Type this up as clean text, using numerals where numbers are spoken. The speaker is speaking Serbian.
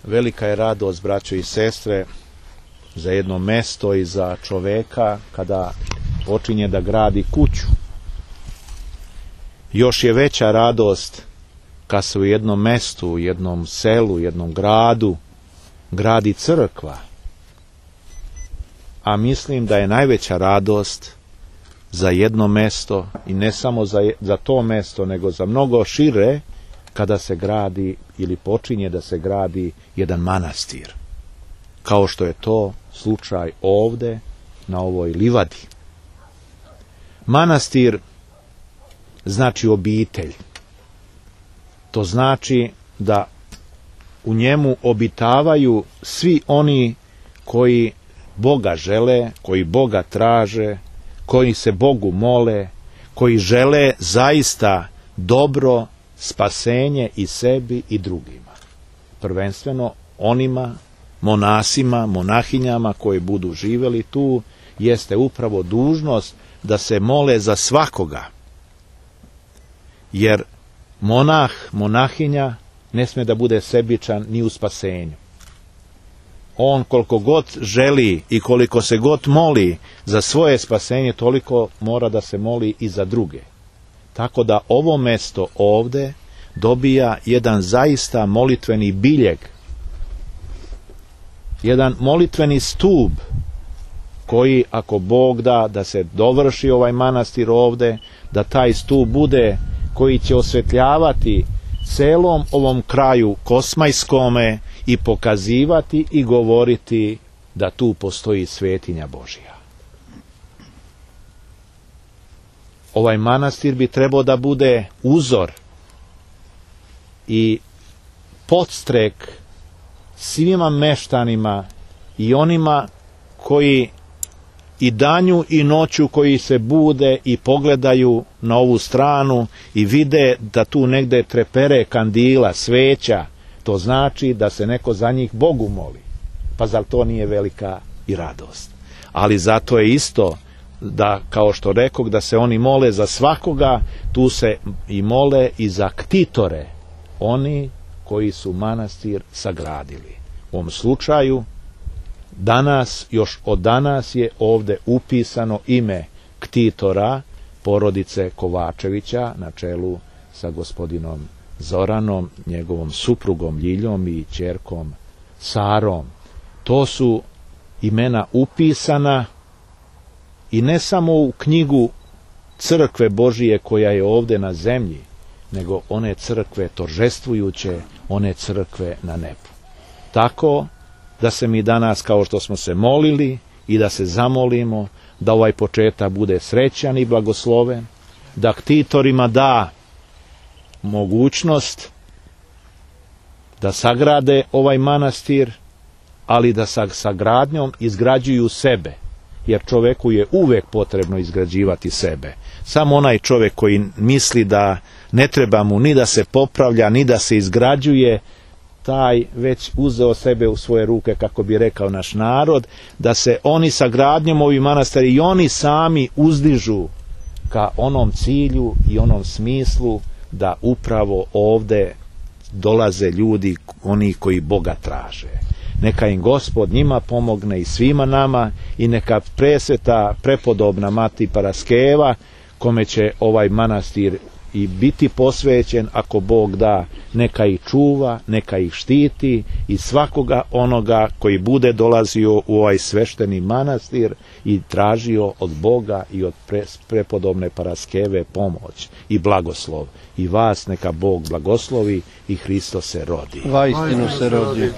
Velika je radost, braćo i sestre, za jedno mesto i za čoveka kada počinje da gradi kuću. Još je veća radost kad se u jednom mestu, u jednom selu, jednom gradu gradi crkva. A mislim da je najveća radost za jedno mesto, i ne samo za to mesto, nego za mnogo šire, kada se gradi ili počinje da se gradi jedan manastir, kao što je to slučaj ovde na ovoj livadi. Manastir znači obitelj. To znači da u njemu obitavaju svi oni koji Boga žele, koji Boga traže, koji se Bogu mole, koji žele zaista dobro, spasenje i sebi i drugima. Prvenstveno onima monasima, monahinjama koji budu živjeli tu, jeste upravo dužnost da se mole za svakoga. Jer monah, monahinja ne sme da bude sebičan ni u spasenju. On koliko god želi i koliko se god moli za svoje spasenje, toliko mora da se moli i za druge. Tako da ovo mesto ovde dobija jedan zaista molitveni biljeg, jedan molitveni stub koji, ako Bog da se dovrši ovaj manastir ovde, da taj stub bude koji će osvetljavati celom ovom kraju kosmajskome i pokazivati i govoriti da tu postoji svetinja Božja. Ovaj manastir bi trebao da bude uzor i podstrek svima meštanima i onima koji i danju i noću koji se bude i pogledaju na ovu stranu i vide da tu negde trepere kandila, sveća, to znači da se neko za njih Bogu moli. Pa zar to nije velika i radost? Ali zato je isto da, kao što rekog, da se oni mole za svakoga, tu se i mole i za ktitore, oni koji su manastir sagradili. U ovom slučaju još od danas je ovde upisano ime ktitora porodice Kovačevića na čelu sa gospodinom Zoranom, njegovom suprugom Ljiljom i ćerkom Sarom. To su imena upisana i ne samo u knjigu crkve Božije koja je ovde na zemlji, nego one crkve toržestvujuće, one crkve na nebu. Tako da se mi danas, kao što smo se molili, i da se zamolimo da ovaj početak bude srećan i blagosloven, da ktitorima da mogućnost da sagrade ovaj manastir, ali da sa sagradnjom izgrađuju sebe, jer čoveku je uvek potrebno izgrađivati sebe. Samo onaj čovek koji misli da ne treba mu ni da se popravlja, ni da se izgrađuje, taj već uzeo sebe u svoje ruke, kako bi rekao naš narod, da se oni sa gradnjom ovih manastira i oni sami uzdižu ka onom cilju i onom smislu da upravo ovde dolaze ljudi, oni koji Boga traže. Neka im Gospod njima pomogne i svima nama, i neka presveta prepodobna Mati Paraskeva, kome će ovaj manastir i biti posvećen, ako Bog da, neka ih čuva, neka ih štiti, i svakoga onoga koji bude dolazio u ovaj svešteni manastir i tražio od Boga i od prepodobne Paraskeve pomoć i blagoslov. I vas neka Bog blagoslovi i Hristos se rodi. Vaistinu se rodi.